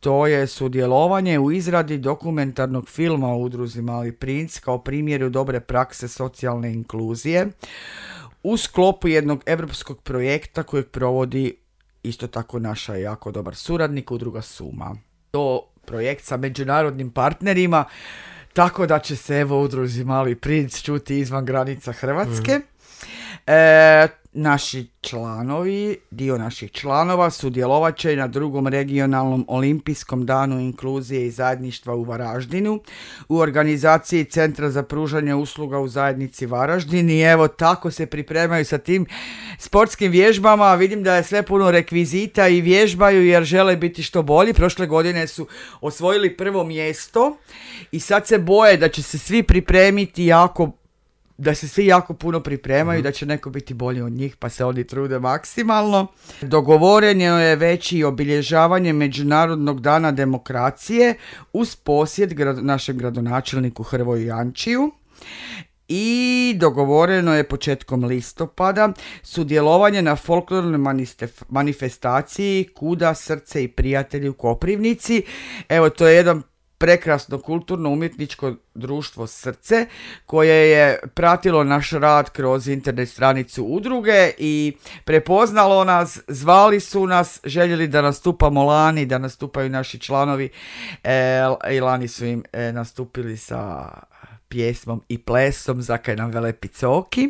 to je sudjelovanje u izradi dokumentarnog filma o udruzi Mali princ kao primjeru dobre prakse socijalne inkluzije u sklopu jednog europskog projekta kojeg provodi isto tako naša jako dobar suradnik, udruga Suma. To projekt sa međunarodnim partnerima, tako da će se evo udruzi Mali princ čuti izvan granica Hrvatske. Naši članovi, dio naših članova sudjelovat će na 2. regionalnom olimpijskom danu inkluzije i zajedništva u Varaždinu u organizaciji Centra za pružanje usluga u zajednici Varaždin i evo tako se pripremaju sa tim sportskim vježbama. Vidim da je sve puno rekvizita i vježbaju jer žele biti što bolji. Prošle godine su osvojili 1. mjesto i sad se boje da će se svi pripremiti da se svi jako puno pripremaju, da će neko biti bolji od njih, pa se oni trude maksimalno. Dogovoreno je već i obilježavanje Međunarodnog dana demokracije uz posjet našem gradonačelniku Hrvoju Jančiju. I dogovoreno je početkom listopada sudjelovanje na folklornoj manifestaciji Kuda, srce i prijatelji u Koprivnici. Evo, to je jedan prekrasno kulturno-umjetničko društvo Srce koje je pratilo naš rad kroz internet stranicu udruge i prepoznalo nas, zvali su nas, željeli da nastupamo lani, da nastupaju naši članovi i lani su im nastupili sa pjesmom i plesom Zakaj nam vele picoki.